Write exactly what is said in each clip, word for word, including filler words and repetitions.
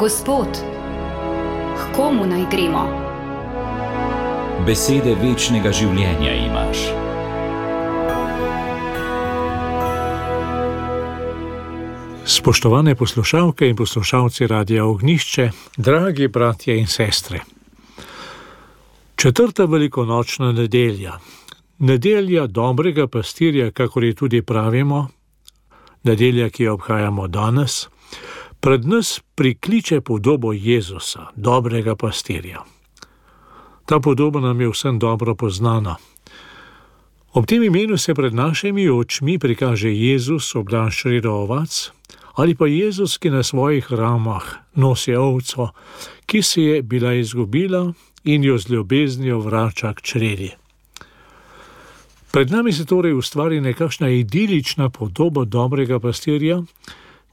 Gospod, k komu naj gremo? Besede večnega življenja imaš. Spoštovane poslušalke in poslušalci Radia Ognjišče, dragi bratje in sestre. Četrta velikonočna nedelja, nedelja dobrega pastirja, kakor je tudi pravimo, nedelja, ki jo obhajamo danes, pred nas prikliče podobo Jezusa, dobrega pastirja. Ta podoba nam je vsem dobro poznana. Ob tem imenu se pred našimi očmi prikaže Jezus, obdan s čredo ovac, ali pa Jezus, ki na svojih ramah nosi ovco, ki se je bila izgubila in jo z ljubeznijo vrača k čredi. Pred nami se torej ustvari nekakšna idilična podoba dobrega pastirja,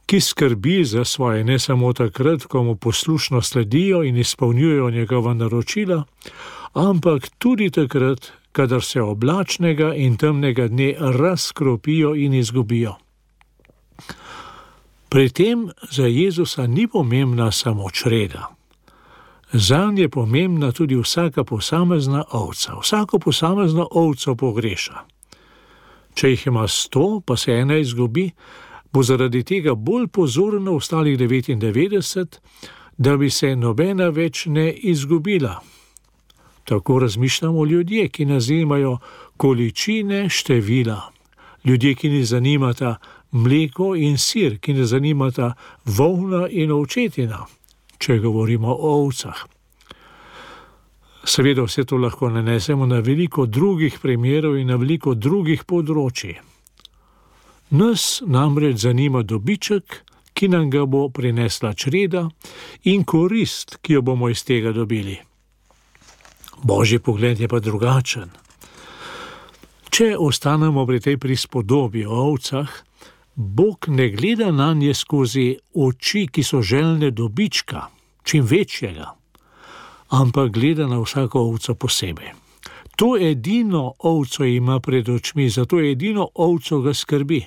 ki skrbi za svoje ne samo takrat, ko mu poslušno sledijo in izpolnjujejo njegova naročila, ampak tudi takrat, kadar se oblačnega in temnega dne razkropijo in izgubijo. Pri tem za Jezusa ni pomembna samo čreda. Zanj je pomembna tudi vsaka posamezna ovca. Vsako posamezno ovco pogreša. Če jih ima sto, pa se ena izgubi, bo zaradi tega bolj pozoren na ostalih devetindevetdeset, da bi se nobena več ne izgubila. Tako razmišljamo ljudje, ki nas zanimajo količine, števila. Ljudje, ki ne zanimata mleko in sir, ki ne zanimata volna in ovčetina, če govorimo o ovcah. Seveda vse to lahko nanesemo na veliko drugih primerov in na veliko drugih področij. Nas namreč zanima dobiček, ki nam ga bo prinesla čreda, in korist, ki jo bomo iz tega dobili. Božji pogled je pa drugačen. Če ostanemo pri tej prispodobi o ovcah, Bog ne gleda nanje skozi oči, ki so željne dobička, čim večjega, ampak gleda na vsako ovco posebej. To edino ovco ima pred očmi, zato edino ovco ga skrbi.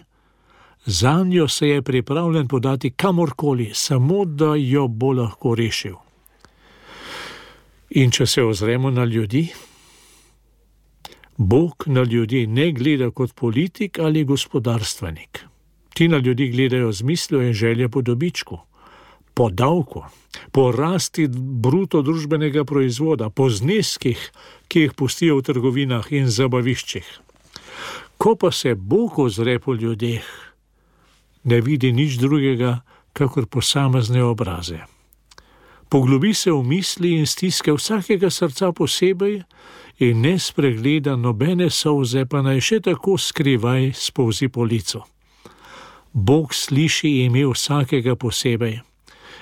Zanjo se je pripravljen podati kamorkoli, samo da jo bo lahko rešil. In če se ozremo na ljudi, Bog na ljudi ne gleda kot politik ali gospodarstvenik. Ti na ljudi gledajo z mislijo in željo po dobičku, po davku, po rasti bruto družbenega proizvoda, po zneskih, ki jih pustijo v trgovinah in zabaviščih. Ko pa se Bog ozre po ljudeh, ne vidi nič drugega, kakor posamezne obraze. Poglobi se v misli in stiske vsakega srca posebej in ne spregleda nobene solze, pa naj še tako skrivaj spolzi po licu. Bog sliši ime vsakega posebej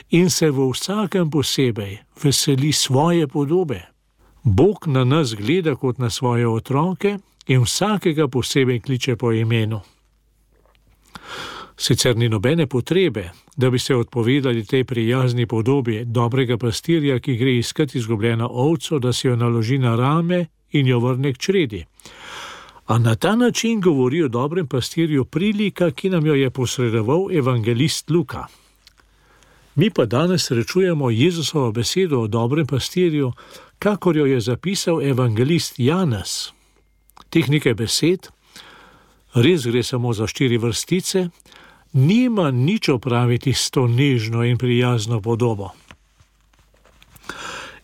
in se v vsakem posebej veseli svoje podobe. Bog na nas gleda kot na svoje otroke in vsakega posebej kliče po imenu. Sicer ni nobene potrebe, da bi se odpovedali tej prijazni podobi dobrega pastirja, ki gre iskat izgubljeno ovco, da si jo naloži na rame in jo vrne k čredi. A na ta način govori o dobrem pastirju prilika, ki nam jo je posredoval evangelist Luka. Mi pa danes srečujemo Jezusovo besedo o dobrem pastirju, kakor jo je zapisal evangelist Janez. Teh nekaj besed, res gre samo za štiri vrstice, nima nič opraviti s to nežno in prijazno podobo.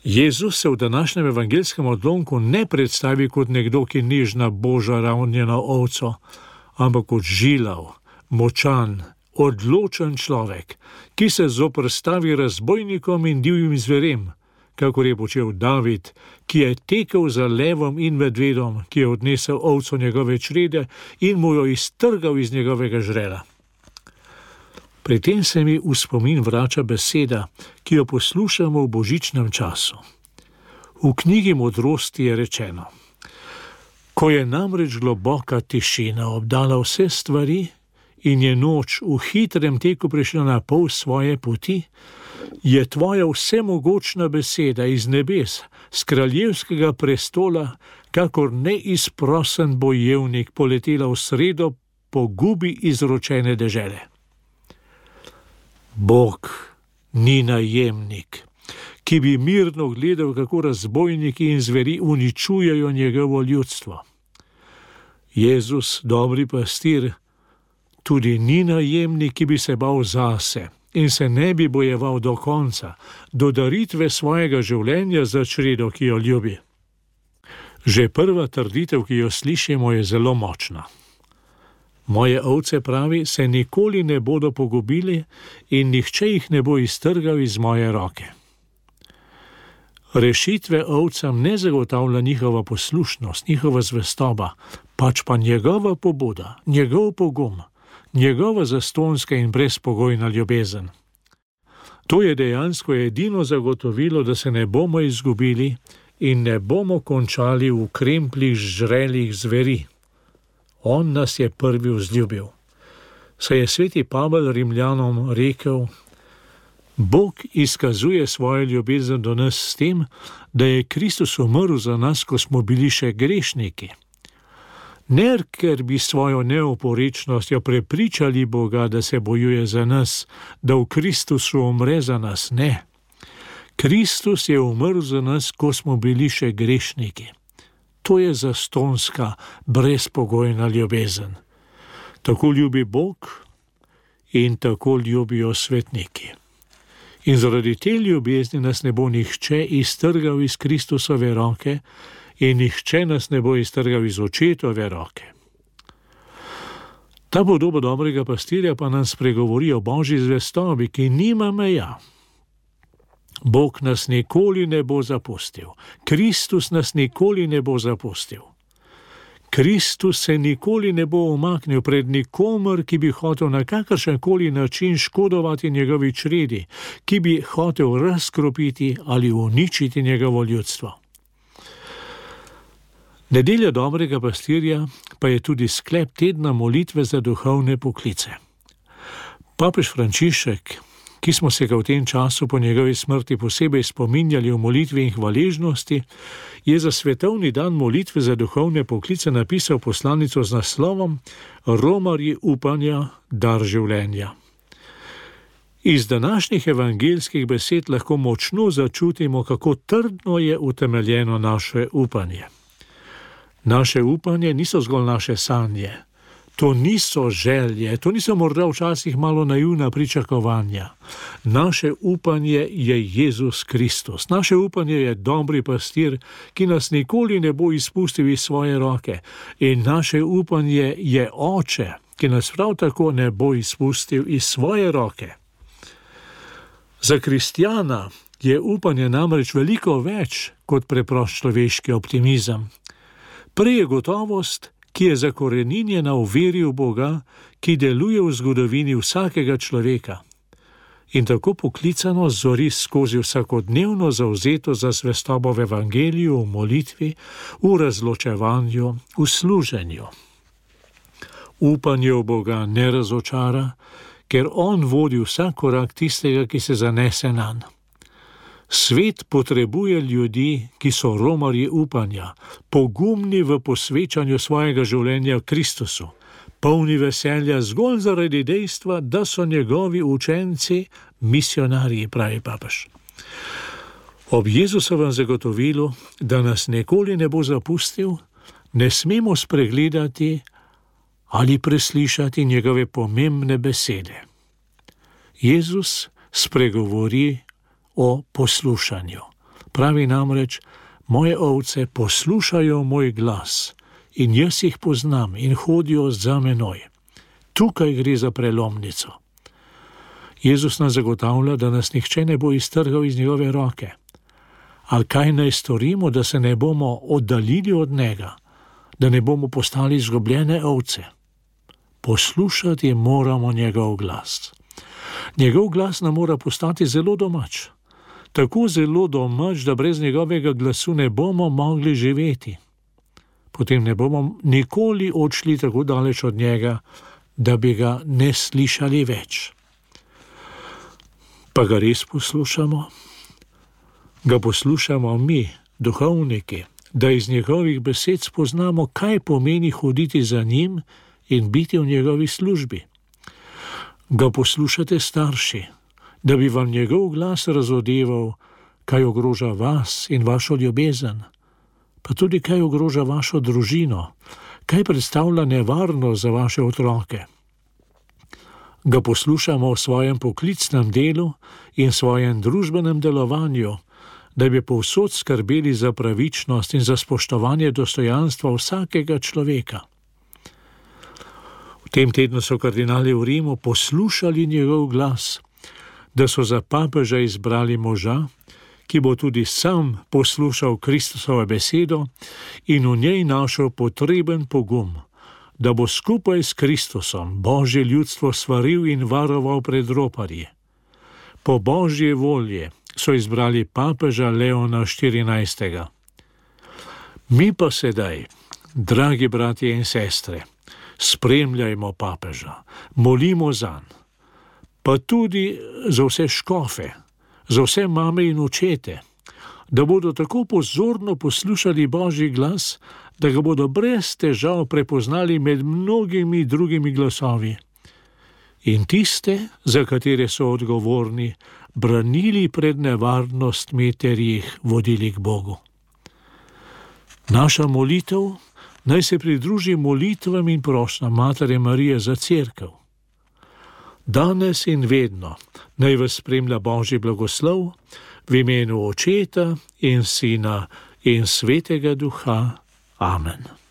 Jezus se v današnjem evangelskem odlomku ne predstavi kot nekdo, ki nežna boža ravnjeno ovco, ampak kot žilav, močan, odločen človek, ki se zoprstavi razbojnikom in divjim zverem, kakor je počel David, ki je tekel za levom in medvedom, ki je odnesel ovco njegove črede in mu jo iztrgal iz njegovega žrela. Pri tem se mi v spomin vrača beseda, ki jo poslušamo v božičnem času. V knjigi Modrosti je rečeno: Ko je namreč globoka tišina obdala vse stvari in je noč v hitrem teku prišla na pol svoje poti, je tvoja vsemogočna beseda iz nebes, z kraljevskega prestola, kakor neizprosen bojevnik poletela v sredo pogubi izročene dežele. Bog ni najemnik, ki bi mirno gledal, kako razbojniki in zveri uničujejo njegovo ljudstvo. Jezus, dobri pastir, tudi ni najemnik, ki bi se bal zase in se ne bi bojeval do konca, do daritve svojega življenja za čredo, ki jo ljubi. Že prva trditev, ki jo slišimo, je zelo močna. Moje ovce, pravi, se nikoli ne bodo pogubili in nihče jih ne bo iztrgal iz moje roke. Rešitve ovcam ne zagotavlja njihova poslušnost, njihova zvestoba, pač pa njegova pobuda, njegov pogum, njegova zastonska in brezpogojna ljubezen. To je dejansko edino zagotovilo, da se ne bomo izgubili in ne bomo končali v kremplih žrelih zveri. On nas je prvi vzljubil. Saj je sveti Pavel Rimljanom rekel: Bog izkazuje svojo ljubezen do nas s tem, da je Kristus umrl za nas, ko smo bili še grešniki. Ne, ker bi svojo neoporečnostjo prepričali Boga, da se bojuje za nas, da v Kristusu umre za nas, ne. Kristus je umrl za nas, ko smo bili še grešniki. To je zastonska, brezpogojna ljubezen. Tako ljubi Bog in tako ljubijo svetniki. In zaradi te ljubezni nas ne bo nihče iztrgal iz Kristusove roke in nihče nas ne bo iztrgal iz očetove roke. Ta podoba dobrega pastirja pa nam spregovori o Božji zvestobi, ki nima meja. Bog nas nikoli ne bo zapustil. Kristus nas nikoli ne bo zapustil. Kristus se nikoli ne bo umaknil pred nikomer, ki bi hotel na kakršenkoli način škodovati njegovi čredi, ki bi hotel razkropiti ali uničiti njegovo ljudstvo. Nedelja dobrega pastirja pa je tudi sklep tedna molitve za duhovne poklice. Papež Frančišek, ki smo se ga v tem času po njegovi smrti posebej spominjali v molitvi in hvaležnosti, je za svetovni dan molitve za duhovne poklice napisal poslanico z naslovom Romarji upanja, dar življenja. Iz današnjih evangeljskih besed lahko močno začutimo, kako trdno je utemeljeno naše upanje. Naše upanje niso zgolj naše sanje. To niso želje, to niso morda včasih malo naivna pričakovanja. Naše upanje je Jezus Kristus. Naše upanje je dobri pastir, ki nas nikoli ne bo izpustil iz svoje roke. In naše upanje je Oče, ki nas prav tako ne bo izpustil iz svoje roke. Za kristjana je upanje namreč veliko več kot preprost človeški optimizem. Prej je gotovost, ki je zakoreninjena v veri v Boga, ki deluje v zgodovini vsakega človeka. In tako poklicano zori skozi vsakodnevno zavzeto za zvestobo v evangeliju, v molitvi, v razločevanju, v služenju. Upanje v Boga ne razočara, ker on vodi vsak korak tistega, ki se zanese nanj. Svet potrebuje ljudi, ki so romarji upanja, pogumni v posvečanju svojega življenja Kristusu, polni veselja zgolj zaradi dejstva, da so njegovi učenci misionarji, pravi papež. Ob Jezusovem zagotovilu, da nas nikoli ne bo zapustil, ne smemo spregledati ali preslišati njegove pomembne besede. Jezus spregovori o poslušanju. Pravi namreč: moje ovce poslušajo moj glas in jaz jih poznam in hodijo za menoj. Tukaj gre za prelomnico. Jezus nas zagotavlja, da nas nihče ne bo iztrgal iz njegove roke. A kaj naj storimo, da se ne bomo oddaljili od njega, da ne bomo postali izgubljene ovce? Poslušati moramo njegov glas. Njegov glas nam mora postati zelo domač. Tako zelo domač, da brez njegovega glasu ne bomo mogli živeti. Potem ne bomo nikoli odšli tako daleč od njega, da bi ga ne slišali več. Pa ga res poslušamo? Ga poslušamo mi, duhovniki, da iz njegovih besed spoznamo, kaj pomeni hoditi za njim in biti v njegovi službi. Ga poslušate starši, da bi vam njegov glas razodeval, kaj ogroža vas in vašo ljubezen, pa tudi kaj ogroža vašo družino, kaj predstavlja nevarnost za vaše otroke. Ga poslušamo v svojem poklicnem delu in svojem družbenem delovanju, da bi povsod skrbeli za pravičnost in za spoštovanje dostojanstva vsakega človeka. V tem tednu so kardinali v Rimu poslušali njegov glas, da so za papeža izbrali moža, ki bo tudi sam poslušal Kristusovo besedo in v njej našel potreben pogum, da bo skupaj s Kristusom Božje ljudstvo svaril in varoval pred roparji. Po Božje volje so izbrali papeža Leona štirinajstega. Mi pa sedaj, dragi bratje in sestre, spremljajmo papeža, molimo zanj, pa tudi za vse škofe, za vse mame in očete, da bodo tako pozorno poslušali Božji glas, da ga bodo brez težav prepoznali med mnogimi drugimi glasovi. In tiste, za katere so odgovorni, branili pred nevarnostmi ter jih vodili k Bogu. Naša molitev naj se pridruži molitvam in prošnjam Matere Marije za Cerkev. Danes in vedno naj vas spremlja Božji blagoslov v imenu Očeta in Sina in Svetega Duha. Amen.